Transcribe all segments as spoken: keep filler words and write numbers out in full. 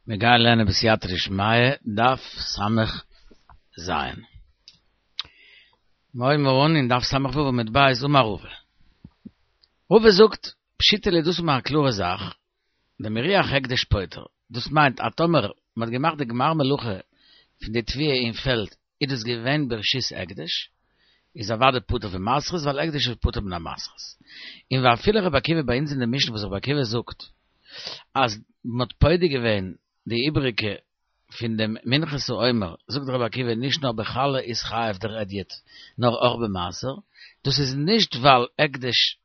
מיר גייען לערנען בסייעתא דשמיא, דף סמך ז. מיר הויבן אן אין דף סמך ו' עמוד ב', אמר רבא. רבא זאגט, פשיטא לי דאס איז מיר א קלארע זאך, דמריח הקדש פוטר, דאס מיינט אז טאמער מען האט געמאכט די גמר מלאכה פון די תבואה אין פעלד איז דאס געווען ברשות הקדש, איז אוודאי פטור פון מעשרות ווייל הקדש איז פטור מן המעשרות. און ואפילו רבי עקיבא ביי אונז אין די משנה וואס רבי עקיבא זאגט אז מען האט פודה געווען די איבעריגע פון דעם מנחת העומר, זאגט רבי עקיבא נישט נאר בחלה איז חייב דער הדיוט נאר אויך במעשר, דאס איז נישט ווייל הקדש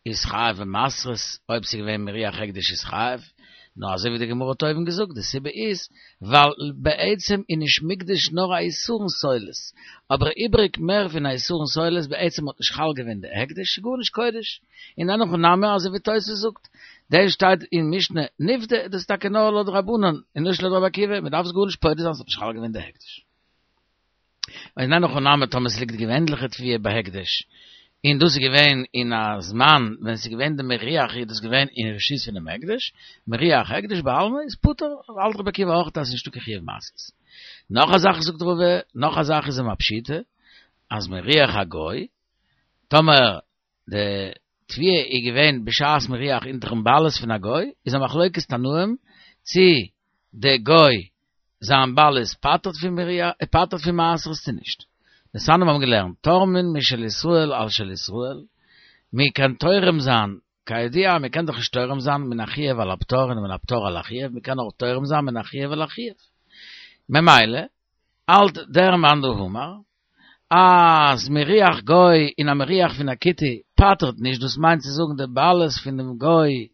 איז חייב במעשרות, אויב ס'איז געווען מריח הקדש איז חייב, נאר אזוי ווי די גמרא האט אויבן געזאגט, די סיבה איז ווייל בעצם איז נישט מוקדש נאר א עשרון סולת, אבער איבריג מער פון א עשרון סולת בעצם האט נישט חל געווען די הקדש, ס'איז גארנישט קודש, און אין הכי נמי אזוי ווי תוס' זאגט, דען שטייט אין משנה נפדה, דאס איז טאקע נאר לויט רבנן און נישט לויט רבי עקיבא, מ'דארף עס גארנישט פודה זיין ס'האט נישט חל געווען די הקדש. און אין הכי נמי טאמער ס'ליגט געווענליכע תבואה בהקדש, און דאס איז געווען אין א זמן ווען ס'איז געווען די מריח איז דאס געווען אין רשות פונעם הקדש, מריח הקדש בעלמא איז פטור, האלט רבי עקיבא אויך אז ס'איז נישטא קיין חיוב מעשרות. נאך א זאך זאגט רבא, נאך א זאך איז אים א פשיטא, אז מריח הגוי, טאמער די תבואה איז געווען בשעת מריח אונטערן בעלות פון א גוי, איז א מחלוקת תנאים צי די גוי זיין בעלות פטר'ט פון מריח פטר'ט פון מעשרות צו נישט. דתניא מיר האבן געלערנט תורמין משל ישראל על של ישראל, מען קען תורם זיין, כידוע מען קען דאך נישט תורם זיין מן החיוב על הפטור און מן הפטור על החיוב, מען קען נאר תורם זיין מן החיוב על החיוב. ממילא האלט דער מאן דאמר אז מריח גוי און א מריח פון א כותי פטר'ט נישט, דאס מיינט צו זאגן די בעלות פון דעם גוי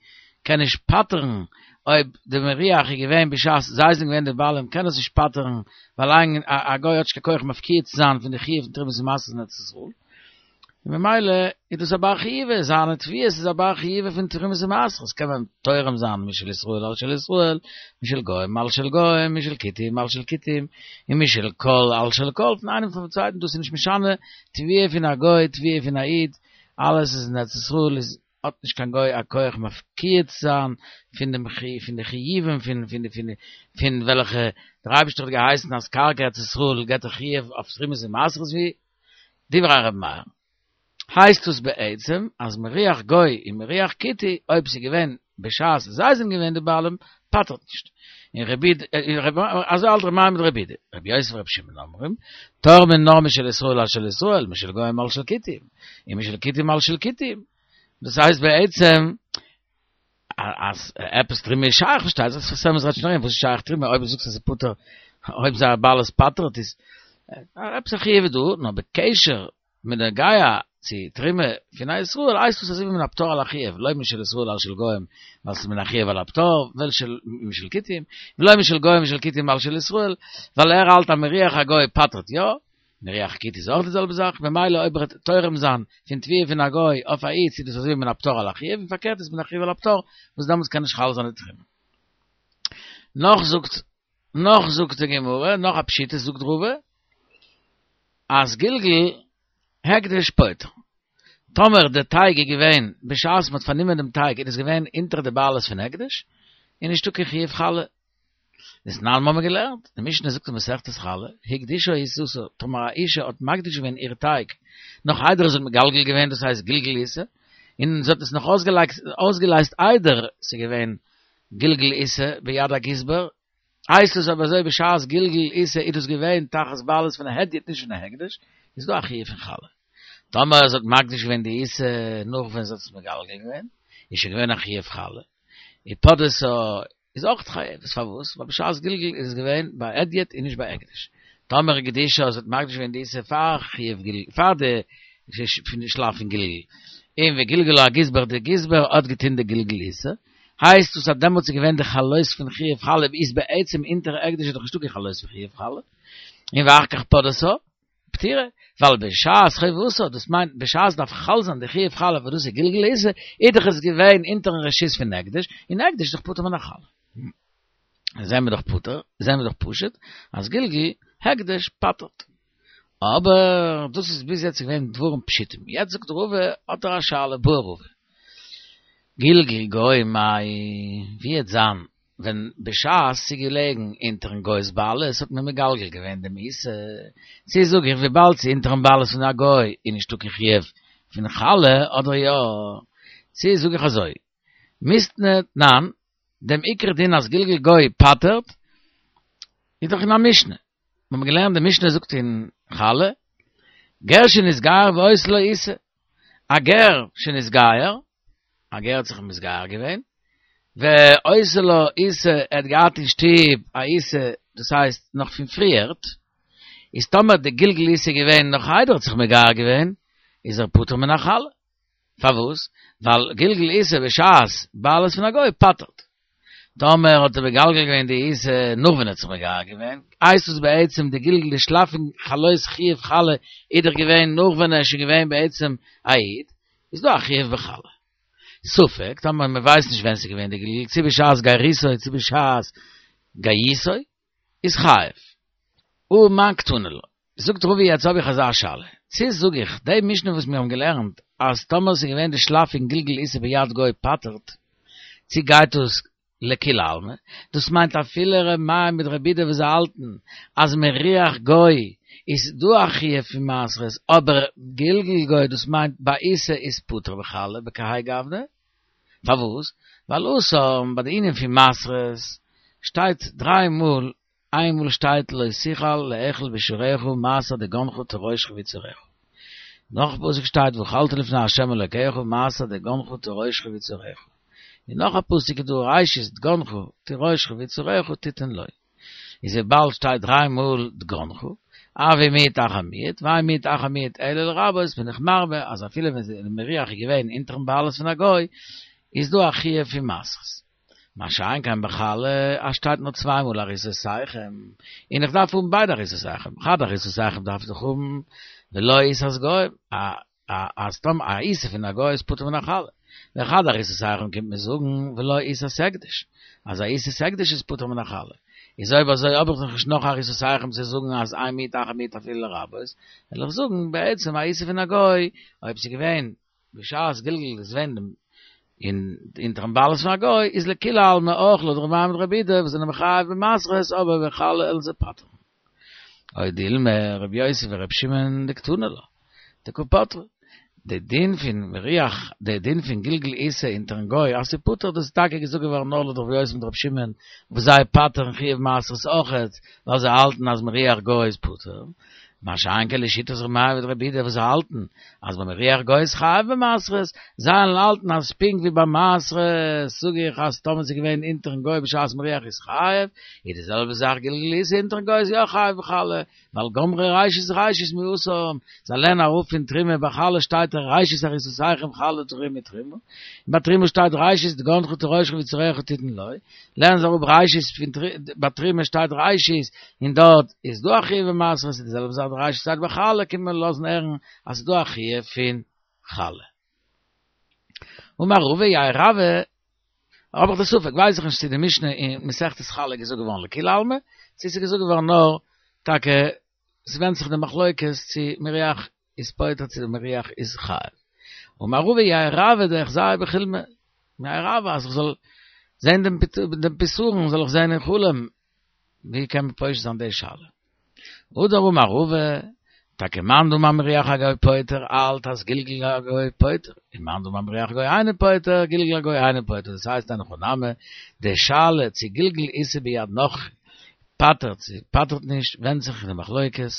קען נישט פטר'ן אויב די מריח איז געווען בשעת זיי זענען געווען די בעלים קען עס נישט פטר'ן ווייל א גוי האט נישט קיין כח מפקיע צו זיין פון די חיוב פון תרומות ומעשרות אין ארץ ישראל. און ממילא איז דאס א בר חיובא, זיינע תבואות איז א בר חיובא פון תרומות ומעשרות, קען מען תורם זיין משל ישראל על של ישראל, משל גוים על של גוים, משל כותים על של כותים, און משל כל על של כל, פון איינעם פון צווייטן, דאס איז נישט משנה, תבואה פון א גוי, תבואה פון א איד, אלעס איז אין ארץ ישראל איז האט נישט קיין גוי א כח מפקיע צו זיין פון דעם פון די חיובים פון פון די פון פון וועלכע דער אייבערשטער האט געהייסן אז קרקע ארץ ישראל געבט א חיוב אויף תרומות ומעשרות ווי דברי ר' מאיר הייסט עס בעצם אז מריח גוי און מריח כותי אויב ס'איז געווען בשעת זיי זענען געווען די בעלים פטר'ט נישט און רבי אזוי האלט ר' מאיר מיט רבי יהודה רבי יוסי ורבי שמעון אומרים תורמין נאר משל ישראל על של ישראל משל גוים על של כותים און משל כותים על של כותים דאס הייסט בעצם אז עפעס תרומה איז שייך פארשטייט זיך שפת אמת רעדט שוין ארום וואס איז שייך תרומה אויב דו זאגסט אז ס'איז פטור אויב זייער בעלות פטר'ט איז עפעס א חיוב איז דא נאר בקשר בנוגע צו תרומה פון א ישראל הייסט עס אזוי ווי מן הפטור על החיוב לא משל ישראל על של גוים ווייל ס'איז מן החיוב על הפטור ולא משל כותים ולא משל גוים משל כותים על של ישראל ווייל ער האלט אז מריח הגוי פטר'ט יא מריח כותי איז אויך די זעלבע זאך, ממילא אויב ער וועט תורם זיין פון תבואה פון א גוי אויף א איד איז דאס אזוי ווי מן הפטור על החיוב, און פארקערט איז מן החיוב על הפטור, וואס דעמאלטס קען נישט חל זיין די תרומה. נאך זאגט נאך זאגט די גמרא, נאך א פשיטא זאגט רבא, אז גלגול הקדש פוטר. טאמער די טייג איז געווען בשעת מען האט פארנומען דעם טייג איז דאס געווען אונטער די בעלות פון הקדש, איז נישטא קיין חיוב חלה. דתנן האבן מיר געלערנט, די משנה זאגט אין מסכת חלה, הקדישה עיסתה, טאמער א אישה האט מקדיש געווען איר טייג, נאך איידער זי האט מגלגל געווען, דאס הייסט גלגול עיסה, און זי האט עס נאך אויסגעלייזט איידער ס'איז געווען גלגול עיסה ביד הגזבר, הייסט עס אויב אזוי בשעת גלגול עיסה איז דאס געווען תחת בעלות פון א הדיוט נישט פון א הקדש, איז דא א חיוב פון חלה. טאמער זי האט מקדיש געווען די עיסה נאך ווען זי האט עס מגלגל געווען, איז שוין געווען א חיוב חלה, ופדתה איז אויך חייבת, פארוואס? ווייל בשעת גלגול איז עס געווען ביי הדיוט און נישט ביי הקדש. טאמער הקדישה זי האט מקדיש געווען די עיסה פאר חיוב גלגול, פאר די פון די שלב פון גלגול, און וגלגלה הגזבר די גזבר האט געטון די גלגול עיסה, הייסט עס אז דעמאלטס איז געווען די חלות פון חיוב חלה איז בעצם אונטער הקדש איז דאך נישטא קיין חלות פון חיוב חלה, און ואחר כך פדתה. פטורה, ווייל בשעת חובתה, דאס מיינט בשעת דארף חל זיין די חיוב חלה וואס דאס איז גלגול עיסה, איז דאך עס געווען אונטערן רשות פון הקדש, און הקדש איז דאך פטור מן החלה. זעהן מיר דאך פטור, זעהן מיר דאך פשוט, אז גלגול הקדש פטר'ט. אבער דאס איז ביז יעצט געווען דברים פשוטים. יעצט זאגט רבא, האט ער א שאלה, בעי רבא. גלגול גוי מאי, ווי העט זיין ווען בשעת ס'איז געלעגן אונטערן גוי'ס בעלות האט מען מגלגל געווען דעם עיסה, צו זאג איך וויבאלד ס'איז אונטערן בעלות פון א גוי איז נישטא קיין חיוב פון חלה אדער יא? צו זאג איך אזוי מיתני תנן, דעם עיקר דין אז גלגול גוי פטר'ט איז דאך אין א משנה, מיר האבן געלערנט די משנה זאגט אין חלה, גר שנתגייר והיתה לו עיסה, א גר שנתגייר, א גר האט זיך מתגייר געווען, והיתה לו עיסה, ער האט געהאט אין שטוב א עיסה, דאס הייסט נאך פון פריערט, איז טאמער די גלגול עיסה געווען נאך איידער ער האט זיך מגייר געווען, איז ער פטור מן החלה. פארוואס? ווייל גלגול עיסה בשעת בעלות פון א גוי פטר'ט. טאמער האט ער מגלגל געווען די עיסה נאך ווען ער האט זיך מגייר געווען, הייסט עס בעצם די גלגול די שלב פון חלות חיוב חלה איז דאך געווען נאך ווען ער איז שוין געווען בעצם א איד, איז דא א חיוב בחלה. ספק, טאמער מען ווייסט נישט ווען ס'איז געווען די גלגול, צו בשעת גריסו צו בשעת גייסו, איז חייב. ומאן קתני לה. זאגט רבא יעצט האב איך אזא שאלה, צו זאג איך די משנה וואס מיר האבן געלערנט אז טאמער ס'איז געווען די שלב פון גלגול עיסה ביד גוי פטר'ט, צו גייט דאס לכולי עלמא, דאס מיינט אפילו ר' מאיר מיט ר' יהודה וואס זיי האלטן אז מריח גוי איז דא א חיוב פון מעשרות אבער גלגול גוי דאס מיינט בעיסה איז פטור בחלה בכהאי גוונא, פארוואס? ווייל התם ביי די ענין פון מעשרות שטייט דריי מאל איינמאל שטייט לא תוכל לאכול בשעריך מעשר דגנך תירושך ויצהרך. נאך א פסוק שטייט ואכלת לפני ה' אלוקיך מעשר דגנך תירושך ויצהרך. און נאך א פסוק איז דא ראשית דגנך תירושך ויצהרך תתן לו. איז וויבאלד שטייט דריי מאל דגנך, הוי מיעוט אחר מיעוט, ואין מיעוט אחר מיעוט אלא לרבות בין איך מרבה אז אפילו ווען די מריח איז געווען אונטערן בעלות פון א גוי איז דא א חיוב פון מעשרות. מה שאין כן בחלה, אז שטייט נאר צוויי מאל עריסותיכם, און איך דארף האבן ביידע עריסותיכם, חד עריסותיכם דארף איך האבן ולא עיסת גוי, א א אז סתם א עיסה פון א גוי איז פטור מן החלה, וחד עריסותיכם קומט מיר זאגן ולא עיסת הקדש, אז א עיסת הקדש איז פטור מן החלה, איז אויב אזוי האב איך דאך נישט נאך עריסותיכם צו זאגן אז אין מיעוט אחר מיעוט אפילו לרבות, וועל איך זאגן בעצם א עיסה פון א גוי, אויב ס'איז געווען בשעת גלגול איז געווען אין אונטערן בעלות פון א גוי איז לכולי עלמא אויך לויט ר' מאיר מיט ר' יהודה וואס זענען מחייב במעשרות אבער בחלה וועלן זיי פטר'ן. או דילמא ר' יוסי ור' שמעון דקתני לה דקא פטרי. די דין פון מריח די דין פון גלגול עיסה אונטערן גוי אז ס'איז פטור דאס איז טאקע געזאגט געווארן נאר לויט ר' יוסי מיט ר' שמעון וואס זיי פטר'ן חיוב מעשרות אויכעט ווייל זיי האלטן אז מריח גוי איז פטור. מה שאין כן לשיטת ר' מאיר מיט ר' יהודה וואס זיי האלטן אז ביי מריח גוי איז חייב במעשרות, זיי האלטן אז פונקט ווי ביי מעשרות זאג איך אז טאמער ס'איז געווען אונטערן גוי בשעת מריח איז חייב, איז די זעלבע זאך גלגול עיסה אונטערן גוי איז יא חייב בחלה, ווייל גמרי ראשית ראשית מהתם, זיי לערנען אראפ פון תרומה ביי חלה שטייט ראשית עריסותיכם חלה תרימו תרומה, און ביי תרומה שטייט ראשית דגנך תירושך ויצהרך תתן לו, לערנען זיי אראפ ראשית פון ביי תרומה שטייט ראשית און דארט איז דא א חיוב במעשרות איז די זעלבע זאך די ראשית שטייט ביי חלה קומט מען לאזן הערן אז ס'איז דא א חיוב פון חלה. אמר רבא יהא רבה האב איך די ספק ווייס איך נישט צו די משנה אין מסכת חלה איז געזאגט געווארן לכולי עלמא צו ס'איז געזאגט געווארן נאר טאקע ס'ווענדט זיך די מחלוקת צו מריח איז פוטר צו די מריח איז חייב. אמר רבא יהא רבה דאחזייה בחולמא יהא רבה אז איך זאל זען דעם דעם פתרון זאל איך זען אין חלום ווי קען מען פושט זיין די שאלה. הדר אמר רבא, טאקע מאן דאמר מריח הגוי פוטר האלט אז גלגול הגוי פוטר, און מאן דאמר מריח הגוי אינו פוטר, גלגול הגוי אינו פוטר, דאס הייסט אין הכי נמי, די שאלה צו גלגול עיסה ביד נכרי פטר'ט צו פטר'ט נישט ווענדט זיך אין די מחלוקת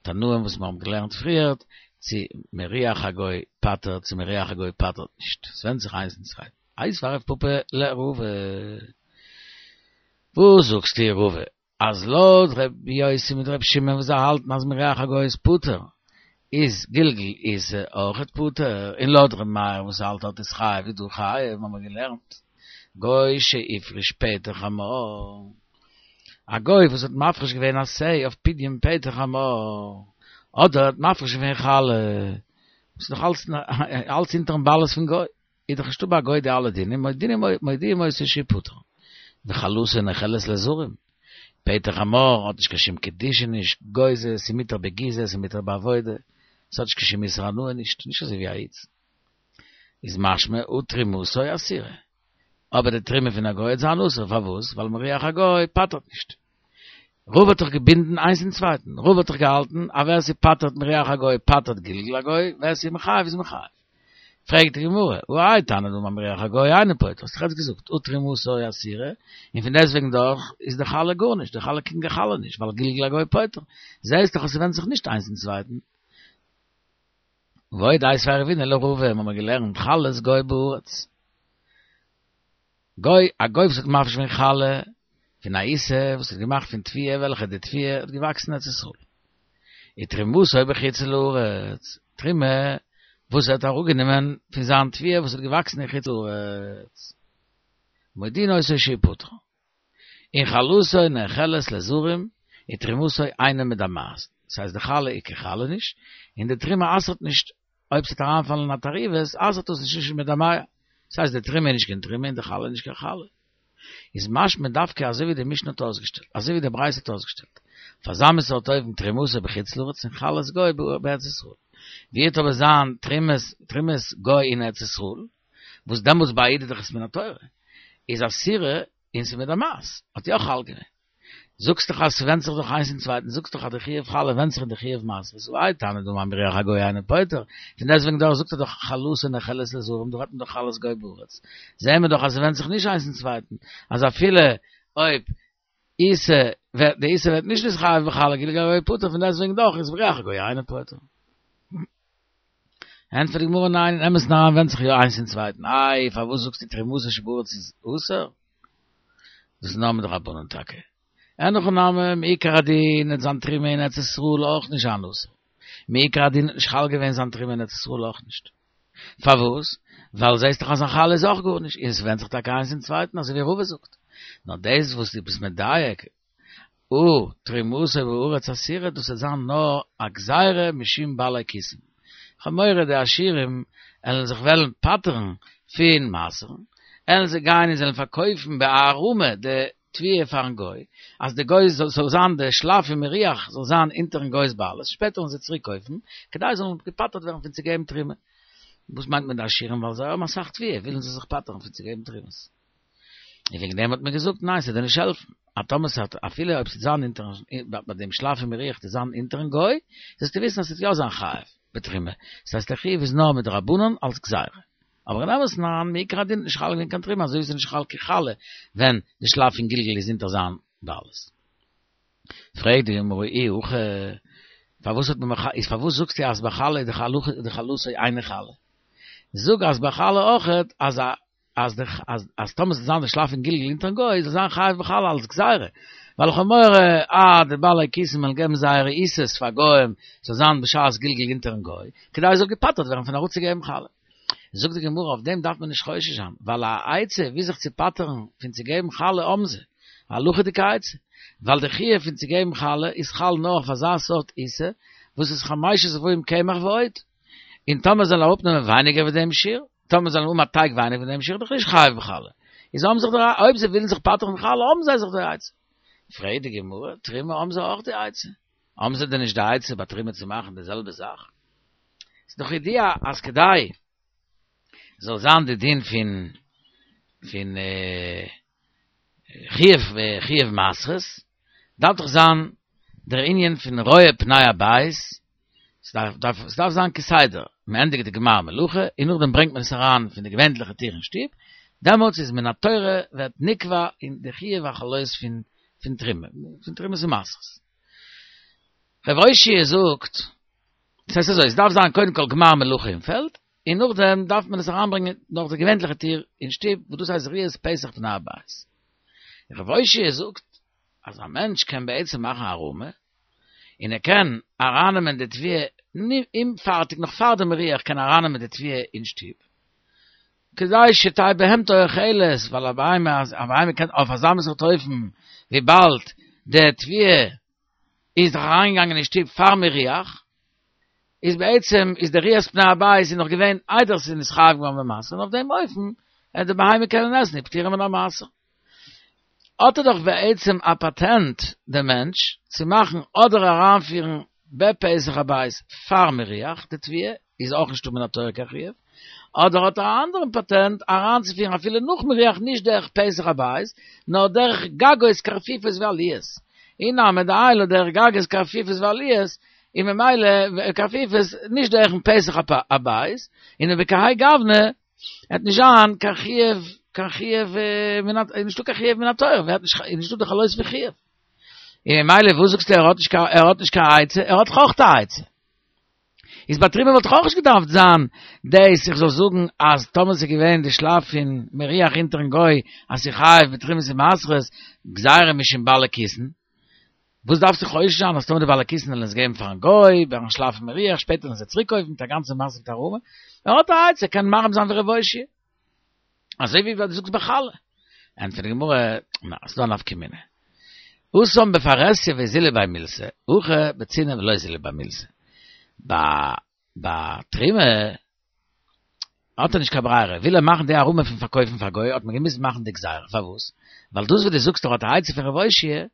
תנאים וואס מיר האבן געלערנט פריערט, צו מריח הגוי פטר'ט צו מריח הגוי פטר'ט נישט, עס ווענדט זיך איינס אין צווייטן. איתיביה רב פפא לרבא. וואס זאגסטו רבא אז לויט ר' יוסי מיט ר' שמעון וואס זיי האלטן אז מריח הגוי איז פטור איז גלגול עיסה אויכעט פטור, און לויט ר' מאיר וואס האלט אז ס'איז חייב איז דא חייב האבן מיר געלערנט גוי שהפריש פטר חמור א גוי וואס האט מפריש געווען א שה אויף פדיון פטר חמור אדער האט מפריש געווען חלה וואס איז דאך אלץ אלץ אונטערן בעלות פון גוי. איז דאך נישטא ביי א גוי די אלע דינים, מודיעים מודיעים אותו שהוא פטור. וחלתו נאכלת לזרים. פטר חמור האט נישט קיין שום קדושה נישט, גוזז, ס'איז מותר בגיזה, ס'איז מותר בעבודה, ס'האט נישט קיין שום איסור הנאה נישט, נישט אזוי ווי א איד. איז משמע הא תרומתו אסירה. אבער די תרומה פון א גוי וועט זיין אסור, פארוואס? ווייל מריח הגוי פטר'ט נישט. רבא האט דאך געבינדן איינס אין צווייטן, רבא האט דאך געהאלטן אז ווער ס'פטר'ט מריח הגוי פטר'ט גלגול הגוי, ווער ס'איז מחייב איז מחייב. פרעגט די גמרא, והא האי תנא דאמר מריח הגוי אינו פוטר, האסט דאך יעצט געזאגט, הא תרומתו אסירה, און פון דעסטוועגן דאך איז די חלה גארנישט, די חלה קיין חלה נישט, ווייל גלגול הגוי פוטר. זעהסט דאך אז ס'ווענדט זיך נישט איינס אין צווייטן. ועוד איתיביה רבינא לרבא, האבן מיר געלערנט חלת גוי בארץ. גוי, א גוי וואס האט מפריש געווען חלה פון א עיסה וואס איז געמאכט פון תבואה וועלכע די תבואה האט געוואקסן אין ארץ ישראל. ותרומתו בחוץ לארץ, תרומה וואס ער האט אראפגענומען פון זיין תבואה וואס האט געוואקסן אין חוץ לארץ. מודיעין אותו שהוא פטור. און חלתו נאכלת לזרים, ותרומתו אינה מדמעת. דאס הייסט די חלה איז קיין חלה נישט, און די תרומה אסר'ט נישט אויב ס'וועט אריינפאלן אין א תערובת, אסר'ט עס נישט נישט מדמע. דאס הייסט די תרומה איז נישט קיין תרומה און די חלה איז נישט קיין חלה. איז משמע דווקא אזוי ווי די משנה האט אויסגעשטעלט, אזוי ווי די ברייתא האט אויסגעשטעלט. אויף אזא מין סארט אופן תרומתו בחוץ לארץ און חלת גוי בארץ ישראל. ווי וועט אבער זיין תרומת תרומת גוי אין ארץ ישראל, וואס דעמאלטס ביי א איד איז דאך עס מן התורה, איז אסירה און ס'איז מדמעת, האט יא חל געווען. זאגסט דאך אז ס'ווענדט זיך דאך איינס אין צווייטן, זאגסט דאך אז די חיוב חלה ווענדט זיך אין די חיוב מעשרות, והא האי תנא דאמר מריח הגוי אינו פוטר, פון דעסטוועגן דאך זאגט ער דאך חלתו נאכלת לזרים, דא רעדט מען דאך חלת גוי בארץ, זעהן מיר דאך אז ס'ווענדט זיך נישט איינס אין צווייטן, אז אפילו אויב עיסה ווערט די עיסה ווערט נישט נתחייב בחלה גלגול הגוי פטור, פון דעסטוועגן דאך איז מריח הגוי אינו פוטר. ענטפערט די גמרא ניין, אין אמת'ן אריין ווענדט זיך יא איינס אין צווייטן, איי פארוואס זאגסטו תרומתו שבארץ איז אסור? דאס איז נאר מדרבנן טאקע. אין הכי נמי, מעיקר הדין וועט זיין תרומה אין ארץ ישראל אויך נישט זיין אסור. מעיקר הדין האט נישט חל געווען זיין תרומה אין ארץ ישראל אויך נישט. פארוואס? ווייל זעהסט דאך אז זיין חלה איז אויך גארנישט, און עס ווענדט זיך טאקע איינס אין צווייטן אזוי ווי רבא זאגט. נאר דאס וואס דו ביסט מדייק, הא תרומתו בארץ אסירה דאס וועט זיין נאר א גזירה משום בעלי כיסים. כ'האב מורא די עשירים עלן זיך וועלן פטר'ן פון מעשר'ן, עלן זיי גיין און זעלן פארקויפן בהערמה די תבואה פארן גוי, אז די גוי זאל זיין די שלף און מירוח זאל זיין אונטערן גוי'ס בעלות, שפעטער וועלן זיי צוריק קויפן, כדי זיי זאלן געפטר'ט ווערן פון צו געבן תרומה. וואס מיינט מען די עשירים? ווייל זיי האבן אסאך תבואה ווילן זיי זיך פטר'ן פון צו געבן תרומות. און וועגן דעם האט מען געזאגט ניין ס'וועט דיר נישט העלפן, אז טאמער ס'האט אפילו אויב ס'וועט זיין אונטערן ביי דעם שלף און מירוח וועט זיין אונטערן גוי, זאלסטו וויסן אז ס'וועט יא זיין חייב בתרומה, ס'הייסט דער חיוב איז נאר מדרבנן אלס גזירה. אבער אין אמת'ן אריין מעיקר הדין איז נישט חל געווען קיין תרומה אזוי ווי ס'איז נישט חל קיין חלה ווען די שלף פון גלגול איז אונטער זיין בעלות. פרעגט די גמרא אי הכי, פארוואס האט מען איז פארוואס זאגסטו אז ביי חלה איז די חלתו אינה חלה? זאג אז ביי חלה אויכעט אז א אז די אז אז טאמער ס'זאל זיין די שלף פון גלגול אונטערן גוי זאל זיין חייב בחלה אלס גזירה, ווייל איך האב מורא אז די בעלי כיסים וועלן געבן זייערע עיסות פאר גוים ס'זאל זיין בשעת גלגול אונטערן גוי, כדי ער זאל געפטר'ט ווערן פון אראפצוגעבן חלה. זאגט די גמרא אויף דעם דארף מען נישט חושש זיין, ווייל א עצה ווי זיך צו פטר'ן פון צו געבן חלה האבן זיי, א הלכה'דיגע עצה, ווייל די חיוב פון צו געבן חלה איז חל נאר אויף אזא סארט עיסה וואס איז חמשת רבעים קמח ועוד, און טאמער זאל ער אראפנעמען ווייניגער ווי דעם שיעור, טאמער זאל ער האבן א טייג ווייניגער ווי דעם שיעור, איז דאך נישט חייב בחלה. איז האבן זיך די, אויב זיי ווילן זיך פטר'ן פון חלה האבן זיי זיך די עצה. פרעגט די גמרא, תרומה האבן זיי אויך די עצה? האבן זיי דען נישט די עצה ביי תרומה צו מאכן די זעלבע זאך? ס'איז דאך ידוע אז כדי זאל זיין די דין פון פון חיוב חיוב מעשרות, דארף דאך זיין דער ענין פון רואה פני הבית, ס'דארף דארף ס'דארף זיין כסדר, מען ענדיגט די גמר מלאכה און נאכדעם ברענגט מען עס אריין פון די געווענליכע טיר אין שטוב, דעמאלטס איז מן התורה ווערט נקבע אין די חיוב החלות פון פון תרומה, פון תרומות ומעשרות. ר' אושעיא זאגט, ס'הייסט אזוי, ס'דארף זיין קודם כל גמר מלאכה אין פעלד, און נאכדעם דארף מען עס אריינברענגען דורך די געווענליכע טיר אין שטוב, וואס דאס הייסט ראיית פתח פני הבית. ר' אושעיא זאגט אז א מענטש קען בעצם מאכן הערמה, און ער קען ארייננעמען די תבואה אומפארטיג נאך פאר די מירוח קען ער ארייננעמען די תבואה אין שטוב, כדי שתהא בהמתו אוכלת, ווייל א בהמה א בהמה קען אויף אזא מין סארט אופן וויבאלד די תבואה איז דאך אריינגעגאנגען אין שטוב פאר מירוח, איז בעצם איז די ראיית פני הבית איז נאך געווען איידער ס'איז נתחייב געווארן במעשר און אויף דעם אופן וועט די בהמה קענען עסן און פטורה מן המעשר. האט ער דאך בעצם א פאטענט דער מענטש צו מאכן אדער אריינפירן בפתח הבית פאר מירוח די תבואה איז אויך נישטא מן התורה קיין חיוב, אדער האט ער א אנדערן פאטענט אריינצופירן אפילו נאך מריח נישט דרך פתח הבית, נאר דרך גגות קרפיפות ועליות. אי נמי דעייל דרך גגות קרפיפות ועליות, און ממילא קרפיפות נישט דורכן פתח הבית, און בכהאי גוונא וועט נישט זיין קיין חיוב, קיין חיוב מן ה, נישטא קיין חיוב מן התורה, ווערט נישט, נישטא די חלות פון חיוב. און ממילא וואס זאגסטו ער האט נישט קיין, ער האט נישט קיין עצה, ער האט אויך א עצה. איז ביי תרומה וואלט אויך נישט געדארפט זיין דאס איך זאל זאגן אז טאמער ס'איז געווען די שלב פון מריח אונטערן גוי אז ס'איז חייב בתרומות ומעשרות גזירה משום בעלי כיסין, וואס דארפסטו חושש זיין אז טאמער די בעלי כיסין וועלן עס געבן פארן גוי ביים שלב פון מריח שפעטער וועלן זיי צוריק קויפן מיט א גאנצע מעשה מיט הערמה, ער האט א עצה קען מערים זיין ווי ר' אושעיא. אזוי ווי דו זאגסט ביי חלה. ענטפערט די גמרא, נא, ס'דא א נפקא מינה. התם בפרהסיא ואזילי ביה מילתא, הכא בצנעה ולא אזילי ביה מילתא. ביי ביי תרומה האט ער נישט קיין ברירה, וויל ער מאכן די הערמה פון פארקויפן פאר גוי האט מען געמוזט מאכן די גזירה, פארוואס? ווייל דאס וואס דו זאגסט ער האט א עצה פון ר' אושעיא,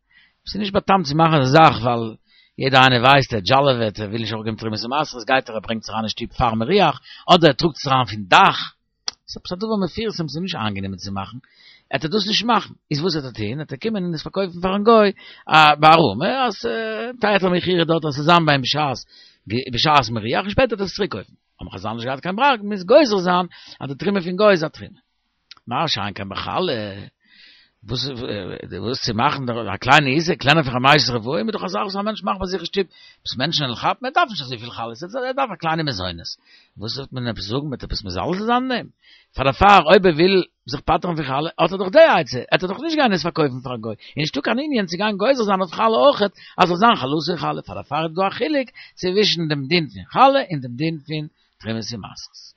ס'איז נישט בא'טעמ'ט צו מאכן אזא זאך ווייל יעדער איינער ווייסט ער דזשאלעוועט ער וויל נישט אראפגעבן תרומות ומעשרות גייט ער ער ברענגט עס אריין אין שטוב פאר מריח, אדער ער טראגט עס אריין פון דאך, ס'איז עפעס א דבר מפורסם ס'איז נישט איינגענומען צו מאכן, עט ער דאס נישט מאכן, איז וואס עט ער טוהן, עט ער קומען און עס פארקויפן פארן גוי בהערמה, אז היתר מכירה דארט אז ס'זאל זיין ביי אים בשעת בשעת מריח און שפעטער עט ער עס צוריק קויפן, האבן חזל נישט געהאט קיין ברירה געמוזט גוזר זיין אז די תרומה פון גוי איז א תרומה. מה שאין כן בחלה, וואס וואס צו מאכן א קליינע איסור קלענער פון חמשת רבעים איז דאך א זאך וואס א מענטש מאכט ביי זיך אין שטוב, וואס מענטשן וועלן כאפן, ער דארף נישט אזויפיל חלות, ער דארף א קליינע מזונות, וואס וועט מען עפעס זאגן, מ'וועט עפעס מזלזל זיין אין דעם? פאר דערפאר אויב ער וויל זיך פטר'ן פון חלה האט ער דאך די עצה, עט ער דאך נישט גיין עס פארקויפן פאר א גוי, און נישטא קיין ענין צו גיין גוזר זיין אויף חלה אויכעט אז זאל זיין חלתו חלה, פאר דערפאר איז דא א חילוק צווישן דעם דין פון חלה און דעם דין פון תרומות ומעשרות.